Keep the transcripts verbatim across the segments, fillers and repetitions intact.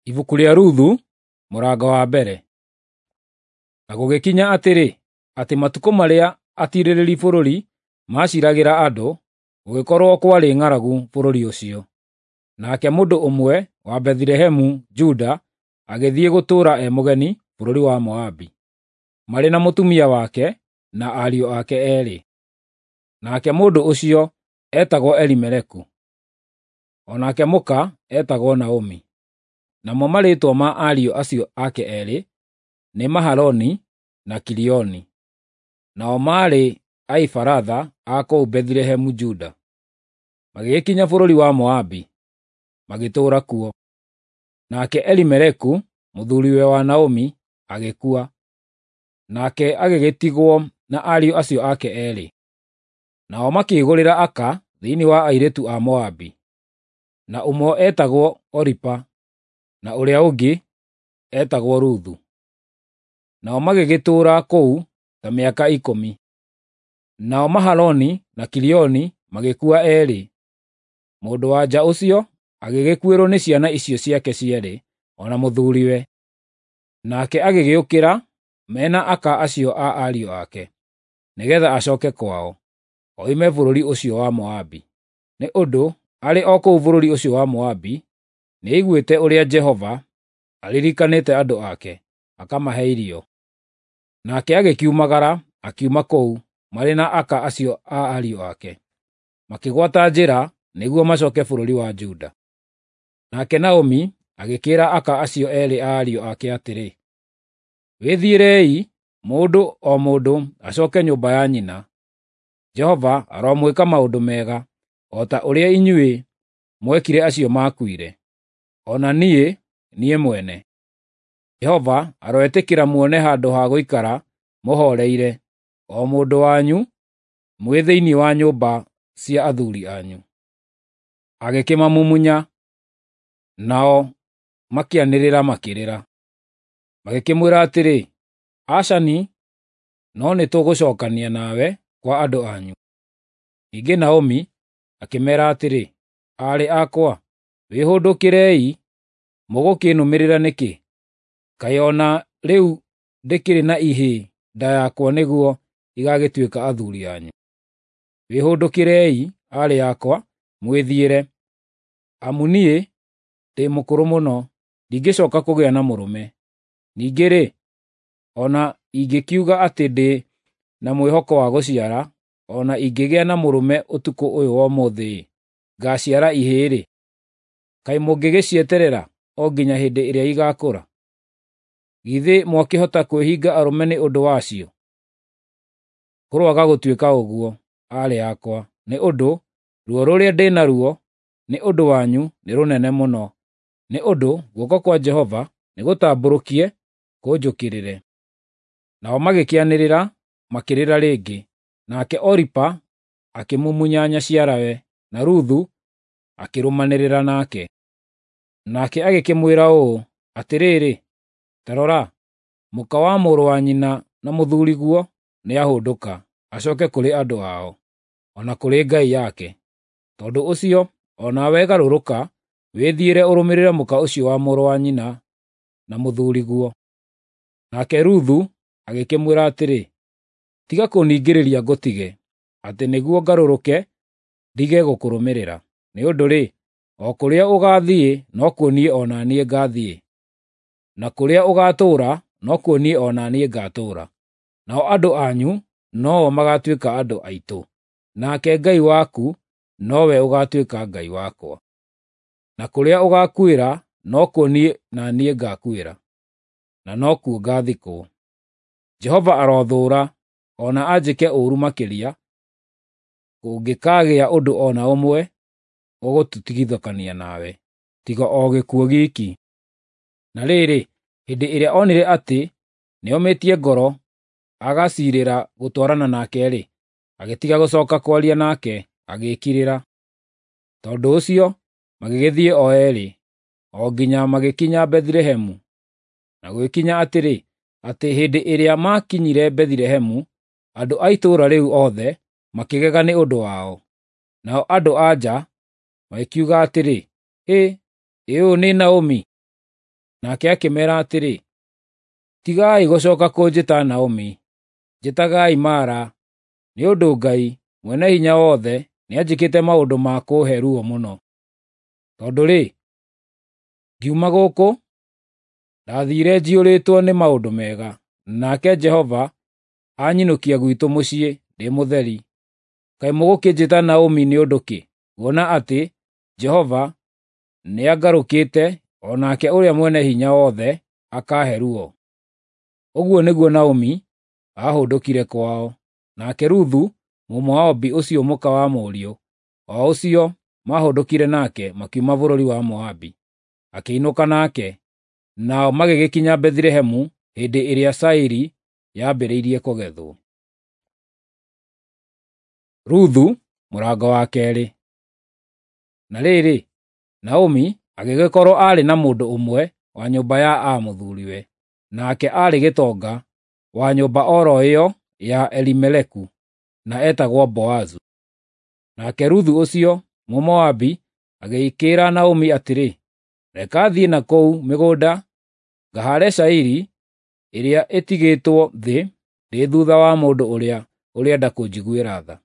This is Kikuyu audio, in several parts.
Ibuku rĩa Ruthu, mũrango wa mbere. Na gũgĩkinya atĩrĩ, atĩ matukũ marĩa atiirĩrĩri bũrũri maaciragĩra andũ, gũgĩkorwo kwarĩ ng'aragu bũrũri ũcio. Nake mũndũ ũmwe wa Bethilehemu Juda agĩthiĩ gũtũũra e mũgeni bũrũri wa Moabi, marĩ na mũtumia wake na ariũ ake eerĩ. Nake mũndũ ũcio eetagwo Elimeleku, o nake mũka eetagwo Naomi. Namo marĩĩtwa ma ariũ acio ake eerĩ nĩ Mahaloni na Kilioni. Nao maarĩ Aefiratha a kũu Bethilehemu Juda. Magĩgĩkinya bũrũri wa Moabi, magĩtũũra kuo. Nake Elimeleku, mũthuriwe wa Naomi, agĩkua, nake agĩgĩtigwo na ariũ acio ake eerĩ. Nao makĩĩgũrĩra aka thĩinĩ wa airĩtu a Moabi, na ũmwe eetagwo Oripa na ũrĩa ũngĩ eetagwo Ruthu. Nao magĩgĩtũũra kũu ta mĩaka ikũmi. Nao Mahaloni na Kilioni magĩkua eerĩ. Mũndũ-wa-nja ũcio agĩgĩkuĩrwo nĩ ciana icio ciake cierĩ o na mũthuuriwe. Nake agĩgĩũkĩra me na aka acio a ariũ ake, nĩgeetha acooke kwao, oime bũrũri ũcio wa Moabi. Nĩ ũndũ arĩ o kũu bũrũri ũcio wa Moabi nĩaiguĩte ũrĩa Jehova aririkanĩte andũ ake, akamahe irio. Nake agĩkiumagara akiuma kũu marĩ na aka acio a ariũ ake, makĩgwata njĩra nĩguo macooke bũrũri wa Juda. Nake Naomi agĩkĩĩra aka acio eerĩ a ariũ ake atĩrĩ, “Wĩthiĩrei, mũndũ o mũndũ acooke nyũmba ya nyina. Jehova aromwĩka maũndũ mega, o ta ũrĩa inyuĩ mwekire acio maakuire, o na niĩ, niĩ mwene. Jehova aroĩtĩkĩra muone handũ ha gũikara mũhooreire, o mũndũ wanyu, mwĩ thĩinĩ wa nyũmba cia athuuri anyu.” Agĩkĩmamumunya, nao makĩanĩrĩra makĩrĩra. Magĩkĩmwĩra atĩrĩ, “Aca-ni, no nĩtũgũcookania nawe kwa andũ anyu.” Ningĩ Naomi akĩmeera atĩrĩ, “Aarĩ akwa, wĩhũndũkĩrei, mũgũkĩnũmĩrĩra nĩkĩ? Kaĩ o na rĩu ndĩkĩrĩ na ihĩĩ nda yakwa nĩguo igagĩtuĩka athuuri anyu? Wĩhũndũkĩrei, aarĩ akwa, mwĩthiĩre, amu niĩ ndĩ mũkũrũ mũno, ndingĩcooka kũgĩa na mũrũme. Ningĩ-rĩ, o na ingĩkiuga atĩ ndĩ na mwĩhoko wa gũciara, o na ingĩgĩa na mũrũme ũtukũ ũyũ wa ũmũthĩ-rĩ, ngaaciara ihĩĩ-rĩ, kaĩ mũngĩgĩcieterera o nginya hĩndĩ ĩrĩa igaakũra? Githĩ mwakĩhota kwĩhinga arũme nĩ ũndũ wacio? Kũroaga gũtuĩka ũguo, aarĩ akwa, nĩ ũndũ ruo rũrĩa ndĩ naruo nĩ ũndũ wanyu nĩ rũnene mũno, nĩ ũndũ guoko kwa Jehova nĩgũtambũrũkie kũnjũkĩrĩre.” Nao magĩkĩanĩrĩra makĩrĩra rĩngĩ, nake Oripa akĩmumunya nyaciarawe, na Ruthu akĩrũmanĩrĩra nake. Nake agĩkĩmwĩra ũũ, “Atĩrĩrĩ, ta rora, mũka wa mũrũ wa nyina na mũthuuriguo nĩahũndũka, acooke kũrĩ andũ ao, o na kũrĩ ngai yake. Tondũ ũcio o nawe garũrũka wĩthiĩre ũrũmĩrĩre mũka ũcio wa mũrũ wa nyina na mũthuuriguo.” Nake Ruthu agĩkĩmwĩra atĩrĩ, “Tiga kũningĩrĩria ngũtige, atĩ nĩguo ngarũrũke ndige gũkũrũmĩrĩra. Nĩ ũndũ-rĩ, o kũrĩa ũgaathiĩ nokuo niĩ o na niĩ ngaathiĩ, na kũrĩa ũgaatũũra nokuo niĩ o na niĩ ngaatũũra. Nao andũ anyu no-o magaatuĩka andũ aitũ, nake Ngai waku nowe ũgaatuĩka Ngai wakwa. Na kũrĩa ũgaakuĩra nokuo niĩ na niĩ ngaakuĩra, na nokuo ngaathikwo. Jehova arothũũra, o na anjĩke ũũru makĩria, kũngĩkaagĩa ũndũ o na ũmwe ũgũtũtigithũkania nawe, tiga o gĩkuũ giiki.” Na rĩrĩ, hĩndĩ ĩrĩa onire atĩ nĩomĩtie ngoro agaciirĩra gũtwarana nake-rĩ, agĩtiga gũcooka kwaria nake, agĩĩkirĩra. Tondũ ũcio magĩgĩthiĩ o eerĩ, o nginya magĩkinya Bethilehemu. Na gũgĩkinya atĩrĩ, atĩ hĩndĩ ĩrĩa maakinyire Bethilehemu, andũ a itũũra rĩu othe makĩgega nĩ ũndũ wao. Nao andũ-a-nja magĩkiuga atĩrĩ, “Hĩ, ĩ ũyũ nĩ Naomi?” Nake akĩmeera atĩrĩ, "Tigai gũcooka kũnjĩta Naomi, njĩtagaai Mara, nĩ ũndũ Ngai Mwene-Hinya-Wothe nĩanjĩkĩte maũndũ ma kũũhe ruo mũno. Tondũ-rĩ, ngiuma gũkũ, ndathiire njiyũrĩtwo nĩ maũndũ mega, nake Jehova anyinũkia gwitũ mũciĩ ndĩ mũtheri. Kaĩ mũgũkĩnjĩta Naomi nĩ ũndũ kĩ, kuona atĩ Jehova nĩangarũkĩte o nake ũrĩa Mwene-Hinya-Wothe akaahe ruo?" Ũguo nĩguo Naomi aahũndũkire kwao. Nake Ruthu Mũmoabi ũcio mũka wa mũriũ, o ũcio maahũndũkire nake makiuma bũrũri wa Moabi, akĩinũka nake, nao magĩgĩkinya Bethilehemu hĩndĩ ĩrĩa cairi yambĩrĩirie kũgethwo. Ruthu mũrango wa keerĩ. Na rĩrĩ, Naomi agĩgĩkorwo aarĩ na mũndũ ũmwe wa nyũmba ya aa mũthuriwe, nake aarĩ gĩtonga wa nyũmba oro ĩyo ya Elimeleku, na etagwo Boazu. Nake Ruthu ũcio Mũmoabi agĩkĩĩra Naomi atĩrĩ, "Reka thiĩ na kũu mĩgũnda ngahaare cairi ĩrĩa ĩtigĩtwo thĩ ndĩ thuutha wa mũndũ ũrĩa ũrĩenda kũnjiguĩra tha."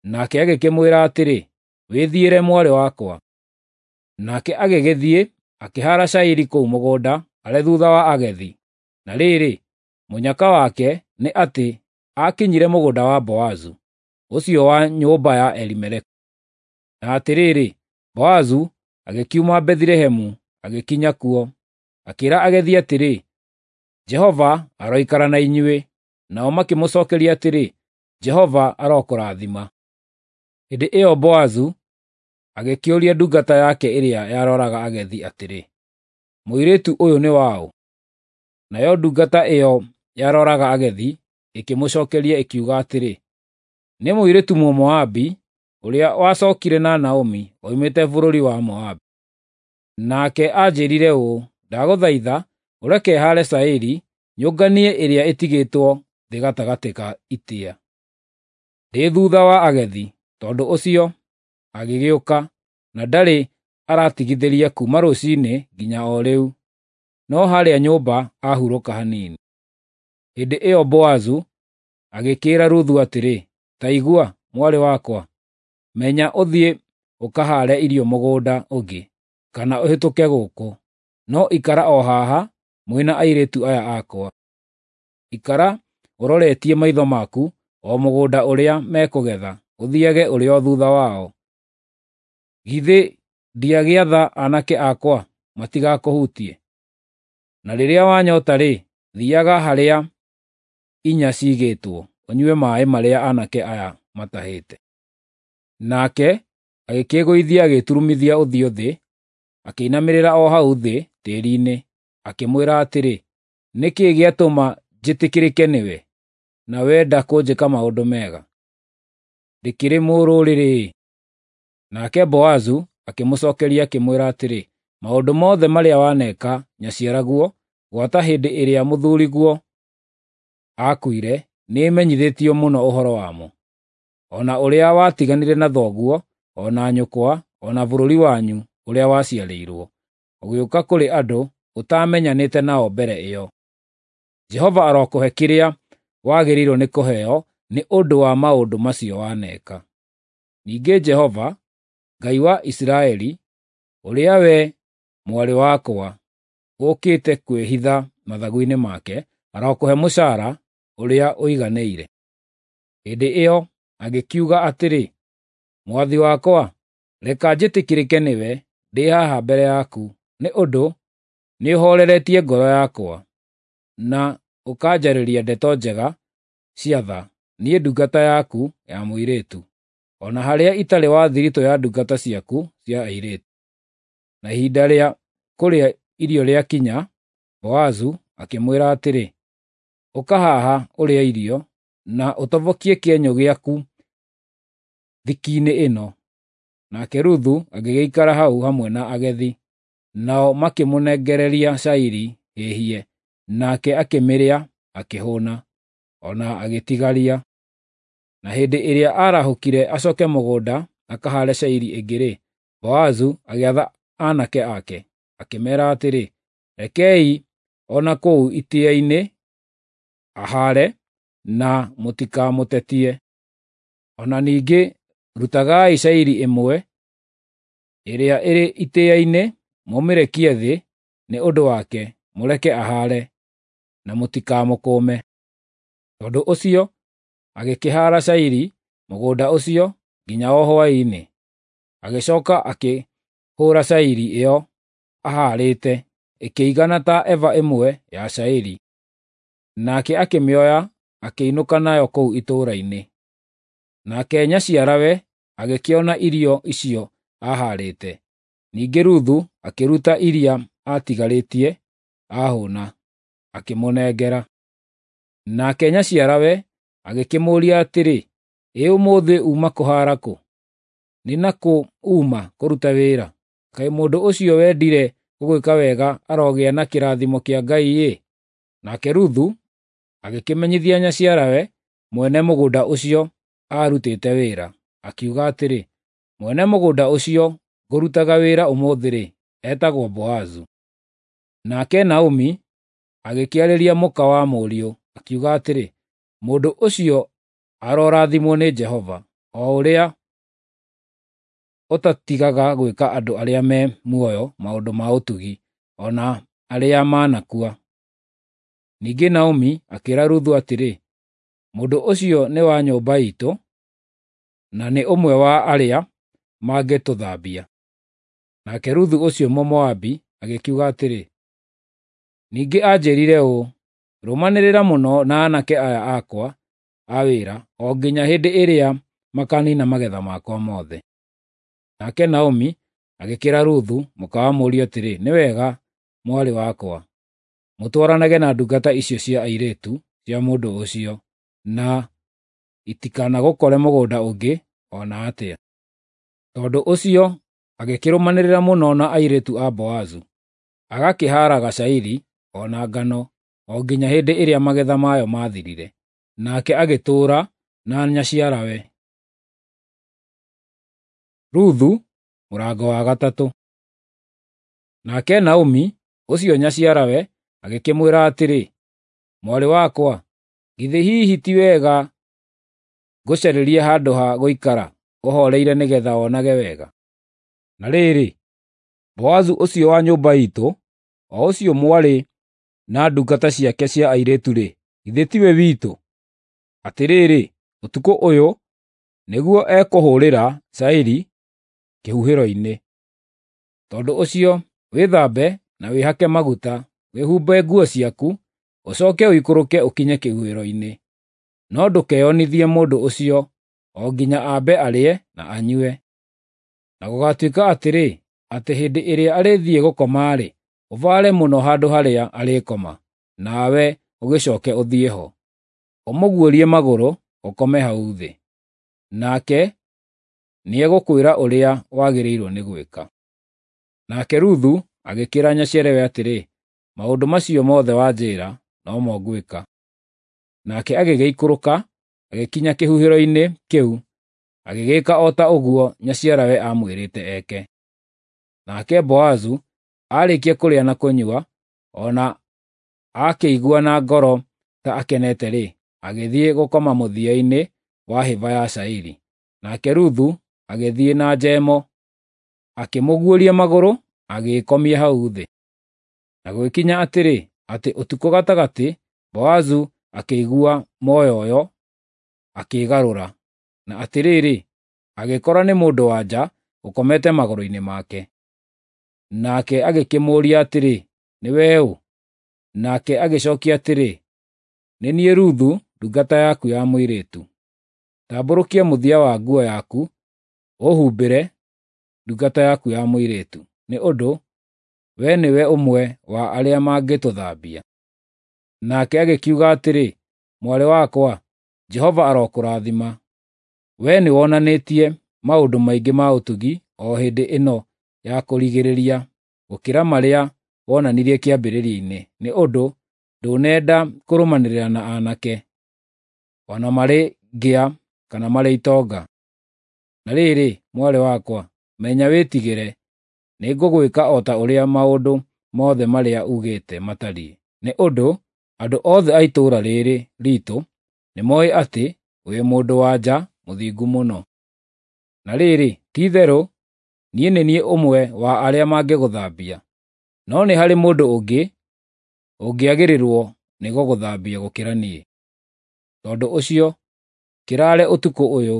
Nake agĩkĩmwĩra atĩrĩ, "Wĩthiĩre mwarĩ wakwa." Nake agĩgĩthiĩ akĩhaara cairi kũu mũgũnda arĩ thuutha wa agethi. Na rĩrĩ, mũnyaka wake nĩ atĩ aakinyire mũgũnda wa Boazu, ũcio wa nyũmba ya Elimeleku. Na atĩrĩrĩ, Boazu agĩkiuma Bethilehemu agĩkinya kuo, akĩĩra agethi atĩrĩ, "Jehova aroikara na inyuĩ." Nao makĩmũcookeria atĩrĩ, "Jehova arokũrathima." Hĩndĩ ĩyo Boazu agĩkĩũria ndungata yake ĩrĩa yaroraga agethi atĩrĩ, "Mũirĩtu ũyũ nĩ waũ?" Nayo ndungata ĩyo yaroraga agethi ĩkĩmũcookeria ĩkiuga atĩrĩ, "Nĩ mũirĩtu Mũmoabi ũrĩa wacookire na Naomi oimĩte bũrũri wa Moabi. Nake anjĩĩrire ũũ, 'Ndagũthaitha ũreke haare cairi nyũnganie ĩrĩa ĩtigĩtwo thĩ gatagatĩ ka itĩa, ndĩ thuutha wa agethi.' Tondũ ũcio agĩgĩũka, na ndarĩ aratigithĩria kuuma rũciinĩ nginya o rĩu, no harĩa nyũmba ahurũka hanini." Hĩndĩ ĩyo Boazu agĩkĩĩra Ruthu atĩrĩ, "Ta igua, mwarĩ wakwa, menya ũthiĩ ũkahaare irio mũgũnda ũngĩ, kana ũhĩtũke gũkũ, no ikara o haha mwĩ na airĩtu aya akwa. Ikara ũroretie maitho maku o mũgũnda ũrĩa mekũgetha, ũthiage ũrĩ o thuutha wao. Githĩ ndiagĩatha aanake akwa matigakũhutie? Na rĩrĩa wanyota-rĩ, thiiaga harĩa inya ciigĩtwo, ũnyue maaĩ marĩa aanake aya matahĩte." Nake agĩkĩĩgũithia agĩturumithia ũthiũ thĩ, akĩinamĩrĩra o hau thĩ tĩĩri-inĩ, akĩmwĩra atĩrĩ, "Nĩ kĩĩ gĩatũma njĩtĩkĩrĩke nĩwe, na wenda kũnjĩka maũndũ mega? Ndĩkĩrĩ mũrũrĩrĩ-ĩ." Nake Boazu akĩmũcookeria akĩmwĩra atĩrĩ, "Maũndũ mothe marĩa waneka nyaciaraguo gwata hĩndĩ ĩrĩa mũthuuriguo aakuire nĩmenyithĩtio mũno ũhoro wamo, o na ũrĩa watiganire na thoguo, o na nyũkwa, o na bũrũri wanyu ũrĩa waciarĩirwo, ũgĩũka kũrĩ andũ ũtaamenyanĩte nao mbere ĩyo. Jehova arokũhe kĩrĩa wagĩrĩirwo nĩ kũheo nĩ ũndũ wa maũndũ macio waneka. Ningĩ Jehova, Ngai wa Isiraeli, ũrĩa wee, mwarĩ wakwa, ũũkĩte kwĩhitha mathagu-inĩ make, arokũhe mũcaara ũrĩa ũiganĩire." Hĩndĩ ĩyo agĩkiuga atĩrĩ, "Mwathi wakwa, reka njĩtĩkĩrĩke nĩwe ndĩ haha mbere yaku, nĩ ũndũ nĩũhooreretie ngoro yakwa, na ũkanjarĩria ndeto njega cia tha, niĩ ndungata yaku ya mũirĩtu, o na harĩa itarĩ wa thiritũ ya ndungata ciaku cia airĩtu." Na ihinda rĩa kũrĩa irio rĩakinya, Boazu akĩmwĩra atĩrĩ, "Ũka haha ũrĩe irio, na ũtobokie kĩenyũ gĩaku thiki-inĩ ĩno." Nake Ruthu agĩgĩikara hau hamwe na agethi, nao makĩmũnengereria cairi hĩhie, nake akĩmĩrĩa akĩhũũna, o na agĩtigaria. Na hĩndĩ ĩrĩa aarahũkire acooke mũgũnda akahaare cairi ĩngĩ-rĩ, Boazu agĩatha aanake ake, akĩmeera atĩrĩ, Rekei o na kũu itĩĩa-inĩ ahaare, na mũtikamũtetie. O na ningĩ rutagai cairi ĩmwe ĩrĩa ĩrĩ itĩĩa-inĩ, mũmĩrekie thĩ nĩ ũndũ wake, mũreke ahaare, na mũtikamũkũme. Tondũ ũcio agĩkĩhaara cairi mũgũnda ũcio nginya o hwaĩ-inĩ. Agĩcoka akĩhũra cairi ĩyo ahaarĩte, ĩkĩigana ta eba ĩmwe ya cairi. Nake akĩmĩoya akĩinũka nayo kũu itũũra-inĩ. Nake nyaciarawe agĩkĩona irio icio aahaarĩte. Ningĩ Ruthu akĩruta iria aatigarĩtie aahũna, akĩmũnengera. Nake nyaciarawe agĩkĩmũũria atĩrĩ, “Ĩ ũmũthĩ uuma kũhaara kũ? Nĩ na kũ uuma kũruta wĩra? Kaĩ mũndũ ũcio wendire gũgwĩka wega arogĩa na kĩrathimo kĩa Ngai-ĩ!” Nake Ruthu agĩkĩmenyithia nyaciarawe mwene mũgũnda ũcio aarutĩte wĩra, akiuga atĩrĩ, “Mwene mũgũnda ũcio ngũrutaga wĩra ũmũthĩ-rĩ, etagwo Boazu.” Nake Naomi agĩkĩarĩria mũka wa mũriũ, akiuga atĩrĩ, “Mũndũ ũcio arorathimwo nĩ Jehova, o ũrĩa ũtatigaga gwĩka andũ arĩa me muoyo maũndũ ma ũtugi, o na arĩa manakua.” Ningĩ Naomi akĩĩra Ruthu atĩrĩ, “Mũndũ ũcio nĩ wa nyũmba iitũ, na nĩ ũmwe wa arĩa mangĩtũthambia.” Nake Ruthu ũcio Mũmoabi agĩkiuga atĩrĩ, “Ningĩ anjĩĩrire ũũ, ‘Rũmanĩrĩra mũno na aanake aya akwa a wĩra o nginya hĩndĩ ĩrĩa makaniina magetha makwa mothe.’” Nake Naomi agĩkĩĩra Ruthu mũka wa mũriũ atĩrĩ, “Nĩ wega, mwarĩ wakwa, mũtwaranage na ndungata icio cia airĩtu cia mũndũ ũcio, na itikanagũkore mũgũnda ũngĩ o na atĩa.” Tondũ ũcio agĩkĩrũmanĩrĩra mũno na airĩtu a Boazu, agakĩhaaraga cairi o na ngano o nginya hĩndĩ ĩrĩa magetha mayo maathirire. Nake agĩtũũra na nyaciarawe. Ruthu mũrango wa gatatũ. Nake Naomi ũcio nyaciarawe agĩkĩmwĩra atĩrĩ, “Mwarĩ wakwa, githĩ hihi ti wega ngũcarĩrie handũ ha gũikara ũhooreire nĩgeetha wonage wega? Na rĩrĩ, Boazu ũcio wa nyũmba iitũ, o ũcio mwarĩ na ndungata ciake cia airĩtu-rĩ, githĩ tiwe witũ? Atĩrĩrĩ, ũtukũ ũyũ nĩguo ekũhũũrĩra cairi kĩhuhĩro-inĩ. Tondũ ũcio wĩthambe na wĩhake maguta, wĩhumbe nguo ciaku, ũcooke ũikũrũke ũkinye kĩhuhĩro-inĩ. No ndũkeyonithie mũndũ ũcio o nginya ambe arĩe na anyue. Na gũgaatuĩka atĩrĩ, atĩ hĩndĩ ĩrĩa arĩthiĩ gũkoma-rĩ, ũbaare mũno handũ harĩa arĩkoma, nawe ũgĩcooke ũthiĩ ho. Ũmũguũrie magũrũ, ũkome hau thĩ. Nake nĩegũkwĩra ũrĩa wagĩrĩirwo nĩ gwĩka.” Nake Ruthu agĩkĩĩra nyaciarawe atĩrĩ, “Maũndũ macio mothe wanjĩĩra, no mo ngwĩka.” Nake agĩgĩikũrũka, agĩkinya kĩhuhĩro-inĩ kĩu, agĩgĩĩka o ta ũguo nyaciarawe aamwĩrĩte eke. Nake Boazu aarĩkia kũrĩa na kũnyua, o na akĩigua na ngoro ta akenete-rĩ, agĩthiĩ gũkoma mũthia-inĩ wa hĩba ya cairi. Nake Ruthu agĩthiĩ na njemo, akĩmũguũria magũrũ, agĩĩkomia hau thĩ. Na gũgĩkinya atĩrĩ, atĩ ũtukũ gatagatĩ Boazu akĩigua moyoyo, akĩĩgarũra, na atĩrĩrĩ, agĩkora nĩ mũndũ-wa-nja ũkomete magũrũ-inĩ make. Nake agĩkĩmũũria atĩrĩ, “Nĩwe ũ?” Nake agĩcookia atĩrĩ, “Nĩ niĩ Ruthu ndungata yaku ya mũirĩtu. Tambũrũkia mũthia wa nguo yaku ũũhumbĩre, ndungata yaku ya mũirĩtu, nĩ ũndũ we nĩwe ũmwe wa arĩa mangĩtũthambia.” Nake agĩkiuga atĩrĩ, “Mwarĩ wakwa, Jehova arokũrathima. Wee nĩwonanĩtie maũndũ maingĩ ma ũtugi o hĩndĩ ĩno ya kũrigĩrĩria gũkĩra marĩa wonanirie kĩambĩrĩria-inĩ, nĩ ũndũ ndũnenda kũrũmanĩrĩra na aanake, o na marĩ ngĩa kana marĩ itonga. Na rĩrĩ, mwarĩ wakwa, menya wĩtigĩre, nĩngũgwĩka o ta ũrĩa maũndũ mothe marĩa uugĩte matariĩ, nĩ ũndũ andũ othe a itũũra rĩrĩ riitũ nĩmoĩ atĩ wĩ mũndũ-wa-nja mũthingu mũno. Na rĩrĩ, ti-itherũ niĩ nĩ niĩ ũmwe wa arĩa mangĩgũthambia, no nĩ harĩ mũndũ ũngĩ ũngĩagĩrĩrwo nĩ gũgũthambia gũkĩra niĩ. Tondũ ũcio kĩraare ũtukũ ũyũ,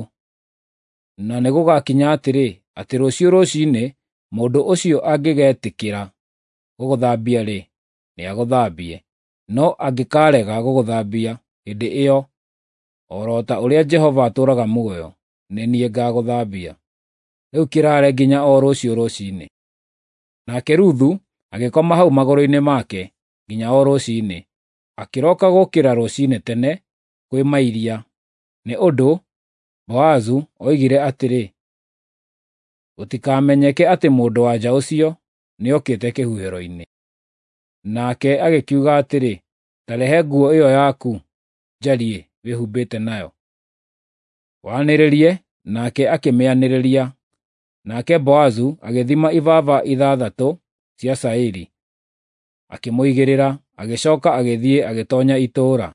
na nĩgũgakinya atĩrĩ, atĩ rũciũ rũciinĩ mũndũ ũcio angĩgetĩkĩra gũgũthambia-rĩ, nĩagũthambie; no angĩkaarega gũgũthambia hĩndĩ ĩyo, o ro ta ũrĩa Jehova atũũraga muoyo, nĩ niĩ ngaagũthambia. Rĩu kĩraare nginya o rũciũ rũciinĩ." Nake Ruthu agĩkoma hau magũrũ-inĩ make nginya o rũciinĩ, akĩroka gũũkĩra rũciinĩ tene kwĩ mairia, nĩ ũndũ Boazu oigire atĩrĩ, "Gũtikamenyeke atĩ mũndũ-wa-nja ũcio nĩokĩte kĩhuhĩro-inĩ." Nake agĩkiuga atĩrĩ, "Ta rehe nguo ĩyo yaku njariĩ wĩhumbĩte nayo, wanĩrĩrie." Nake akĩmĩanĩrĩria. Nake Boazu agĩthima ibaba ithathatũ cia cairi, akĩmũigĩrĩra, agĩcooka agĩthiĩ agĩtoonya itũũra.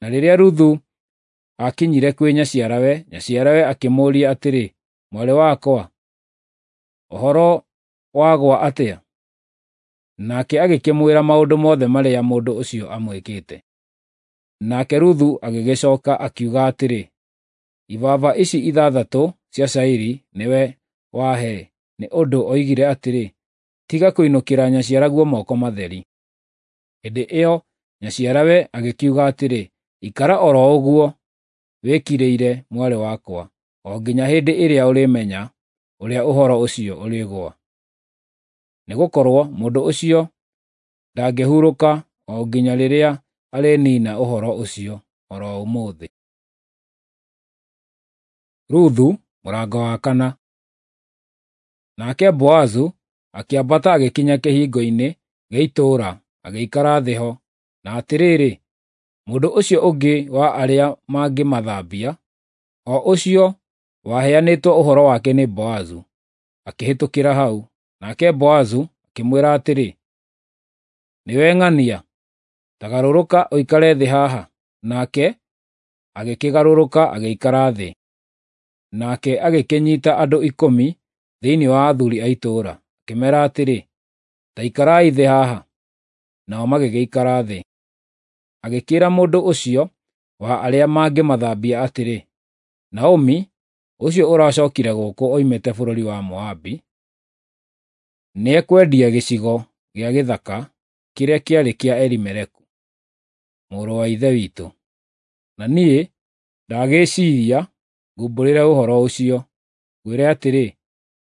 Na rĩrĩa Ruthu aakinyire kwĩ nyaciarawe, nyaciarawe akĩmũũria atĩrĩ, "Mwarĩ wakwa, ũhoro wagwa atĩa?" Nake agĩkĩmwĩra maũndũ mothe marĩa mũndũ ũcio amwĩkĩte. Nake Ruthu agĩgĩcooka akiuga atĩrĩ, "Ibaba ici ithathatũ cia cairi nĩwe wahe, nĩ ũndũ oigire atĩrĩ, 'Tiga kũinũkĩra nyaciaraguo moko matheri.'" Hĩndĩ ĩyo nyaciarawe agĩkiuga atĩrĩ, "Ikara o ro ũguo wĩkirĩire, mwarĩ wakwa, o nginya hĩndĩ ĩrĩa ũrĩmenya ũrĩa ũhoro ũcio ũrĩgũa. Nĩgũkorwo mũndũ ũcio ndangĩhurũka o nginya rĩrĩa arĩniina ũhoro ũcio o ro ũmũthĩ." Ruthu mũrango wa kana. Nake Boazu akĩambata agĩkinya kĩhingo-inĩ gĩa itũũra agĩikara thĩ ho. Na atĩrĩrĩ, mũndũ ũcio ũngĩ wa arĩa mangĩmathambia, o ũcio waheanĩtwo ũhoro wake nĩ Boazu, akĩhĩtũkĩra hau. Nake Boazu akĩmwĩra atĩrĩ, "Nĩwe ng'ania, ta garũrũka ũikare thĩ haha." Nake agĩkĩgarũrũka agĩikara thĩ. Nake agĩkĩnyiita andũ ikũmi thĩinĩ wa athuuri a itũũra, akĩmeera atĩrĩ, "Ta ikarai thĩ haha." Nao magĩgĩikara thĩ. Agĩkĩĩra mũndũ ũcio wa arĩa mangĩmathambia atĩrĩ, "Naomi, ũcio ũracookire gũkũ oimĩte bũrũri wa Moabi, nĩekwendia gĩcigo gĩa gĩthaka kĩrĩa kĩarĩ kĩa Elimeleku, mũrũ wa ithe witũ. Na niĩ ndagĩciiria ngumbũrĩre ũhoro ũcio, ngwĩre atĩrĩ,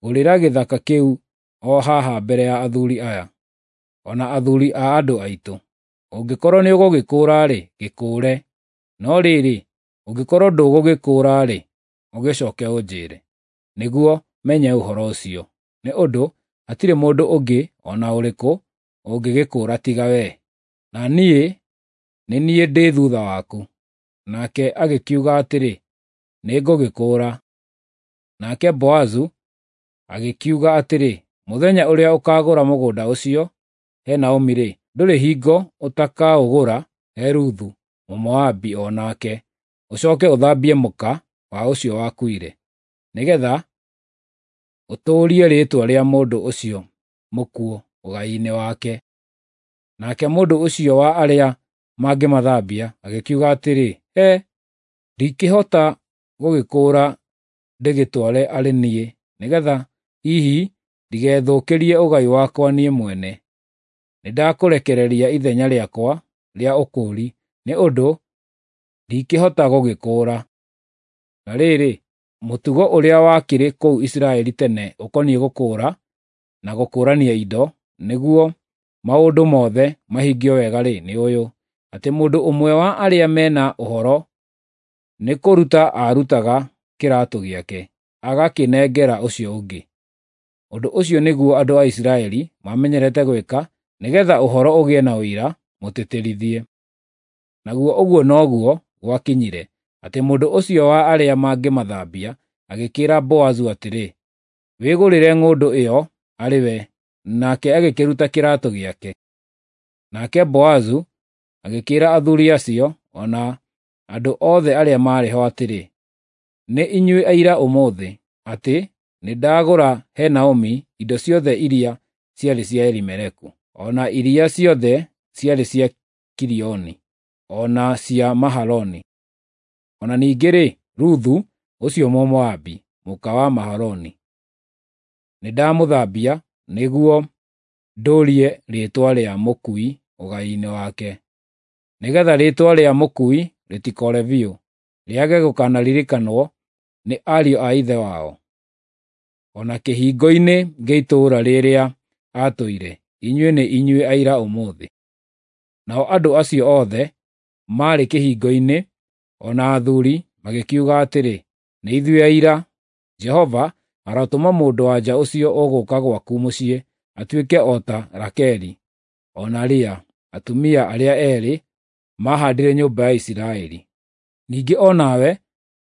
'Gũrĩra gĩthaka kĩu o haha mbere ya athuuri aya, o na athuuri a andũ aitũ. Ũngĩkorwo nĩũgũgĩkũũra-rĩ, gĩkũũre; no rĩrĩ, ũngĩkorwo ndũgũgĩkũũra-rĩ, ũgĩcooke ũnjĩĩre, nĩguo menye ũhoro ũcio, nĩ ũndũ hatirĩ mũndũ ũngĩ o na ũrĩkũ ũngĩgĩkũũra tiga wee, na niĩ nĩ niĩ ndĩ thuutha waku." Nake agĩkiuga atĩrĩ, "Nĩngũgĩkũũra." Nake Boazu agĩkiuga atĩrĩ, "Mũthenya ũrĩa ũkaagũra mũgũnda ũcio he Naomi-rĩ, ndũrĩ hingo ũtakaũgũra he Ruthu Mũmoabi o nake, ũcooke ũthambie mũka wa ũcio wakuire, nĩgeetha ũtũũrie rĩĩtwa rĩa mũndũ ũcio mũkuũ ũgai-inĩ wake." Nake mũndũ ũcio wa arĩa mangĩmathambia agĩkiuga atĩrĩ, "He, ndingĩhota gũgĩkũũra ndĩgĩtware arĩ niĩ, nĩgeetha hihi ndigethũkĩrie ũgai wakwa niĩ mwene. Nĩndakũrekereria ithenya rĩakwa rĩa ũkũũri, nĩ ũndũ ndingĩhota gũgĩkũũra." Na rĩrĩ, mũtugo ũrĩa wakĩrĩ kũu Isiraeli tene ũkoniĩ gũkũũra na gũkũũrania indo, nĩguo maũndũ mothe mahingio wega-rĩ, nĩ ũyũ, atĩ mũndũ ũmwe wa arĩa me na ũhoro nĩkũruta aarutaga kĩraatũ gĩake, agakĩnengera ũcio ũngĩ. Ũndũ ũcio nĩguo andũ a Isiraeli maamenyerete gwĩka nĩgeetha ũhoro ũgĩe na ũira mũtĩtĩrithie. Naguo ũguo noguo gwakinyire, atĩ mũndũ ũcio wa arĩa mangĩmathambia agĩkĩĩra Boazu atĩrĩ, "Wĩgũrĩre ng'ũndũ ĩyo arĩ we, Nake agĩkĩruta kĩraatũ gĩake. Nake Boazu agĩkĩĩra athuri acio o na andũ othe arĩa maarĩ ho atĩrĩ, “Nĩ inyuĩ aira ũmũthĩ atĩ nĩndagũra he Naomi indo ciothe iria ciarĩ cia Elimeleku, o na iria ciothe ciarĩ cia Kilioni, o na cia Mahaloni. O na ningĩ-rĩ, Ruthu ũcio Mũmoabi, mũka wa Mahaloni, nĩndamũthambia nĩguo ndũũrie rĩĩtwa rĩa mũkui ũgai-inĩ wake, nĩgeetha rĩĩtwa rĩa mũkui rĩtikoore biũ, rĩage gũkanaririkanwo nĩ ariũ a ithe wao, o na kĩhingo-inĩ gĩa itũũra rĩrĩa aatũire. Inyuĩ nĩ inyuĩ aira ũmũthĩ.” Nao andũ acio othe maarĩ kĩhingo-inĩ, o na athuuri, magĩkiuga atĩrĩ, “Nĩ ithuĩ aira. Jehova arotũma mũndũ-wa-nja ũcio ũgũũka gwaku mũciĩ atuĩke o ta Rakeli o na Lea, atumia arĩa eerĩ maahaandire nyũmba ya Isiraeli. Ningĩ o nawe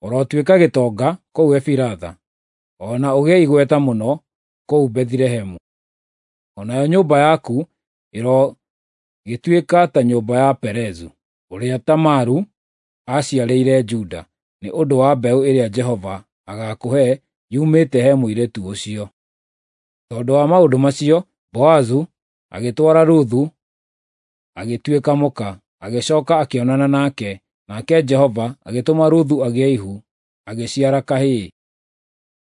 ũrotuĩka gĩtonga kũu Efiratha, o na ũgĩe igweta mũno kũu Bethilehemu. O nayo nyũmba yaku ĩrogĩtuĩka ta nyũmba ya Perezu, ũrĩa Tamaru aaciarĩire Juda, nĩ ũndũ wa mbeũ ĩrĩa Jehova agaakũhe yumĩte he mũirĩtu ũcio.” Tondũ wa maũndũ macio, Boazu agĩtwara Ruthu agĩtuĩka mũka, agĩcooka akĩonana nake, nake Jehova agĩtũma Ruthu agĩe ihu, agĩciara kahĩĩ.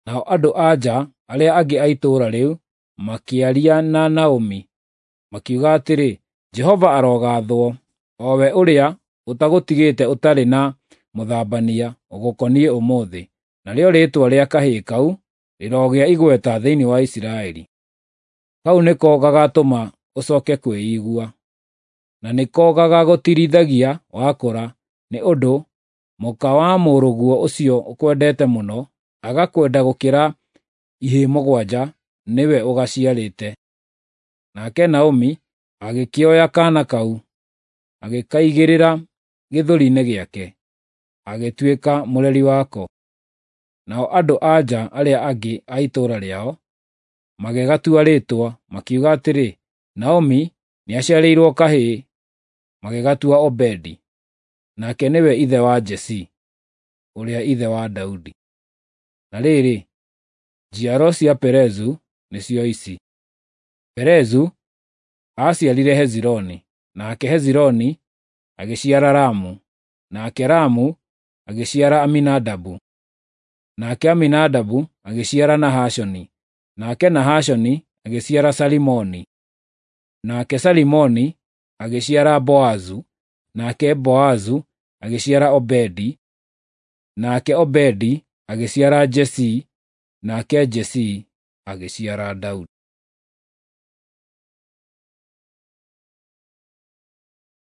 Nao andũ-a-nja arĩa angĩ a itũũra rĩu makĩaria na Naomi, makiuga atĩrĩ, “Jehova arogaathwo, o we ũrĩa ũtagũtigĩte ũtarĩ na mũthambania ũgũkoniĩ ũmũthĩ, narĩo rĩĩtwa rĩa kahĩĩ kau rĩrogĩa igweta thĩinĩ wa Isiraeli. Kau nĩko gagaatũma ũcooke kwĩigua, na nĩko gagaagũtiirithagia wakũra, nĩ ũndũ mũka wa mũrũguo ũcio ũkwendete mũno, agakwenda gũkĩra ihĩĩ mũgwanja, nĩwe ũgaciarĩte.” Nake Naomi agĩkĩoya kaana kau, agĩkaigĩrĩra gĩthũri-inĩ gĩake, agĩtuĩka mũreri wako. Nao andũ-a-nja arĩa angĩ a itũũra rĩao magĩgatua rĩĩtwa, makiuga atĩrĩ, “Naomi nĩaciarĩirwo kahĩĩ,” magĩgatua Obedi, nake nĩwe ithe wa Jesii, ũrĩa ithe wa Daudi. Na rĩrĩ, njiaro cia Perezu nĩcio ici: Perezu aaciarire Hezironi, nake Hezironi agĩciara Ramu, nake Ramu agĩciara Aminadabu, nake Aminadabu agĩciara Nahashoni, nake Nahashoni agĩciara Salimoni, nake Salimoni agĩciara Boazu, nake Boazu agĩciara Obedi, nake Obedi agĩciara Jesii, nake Jesii agĩciara Daudi.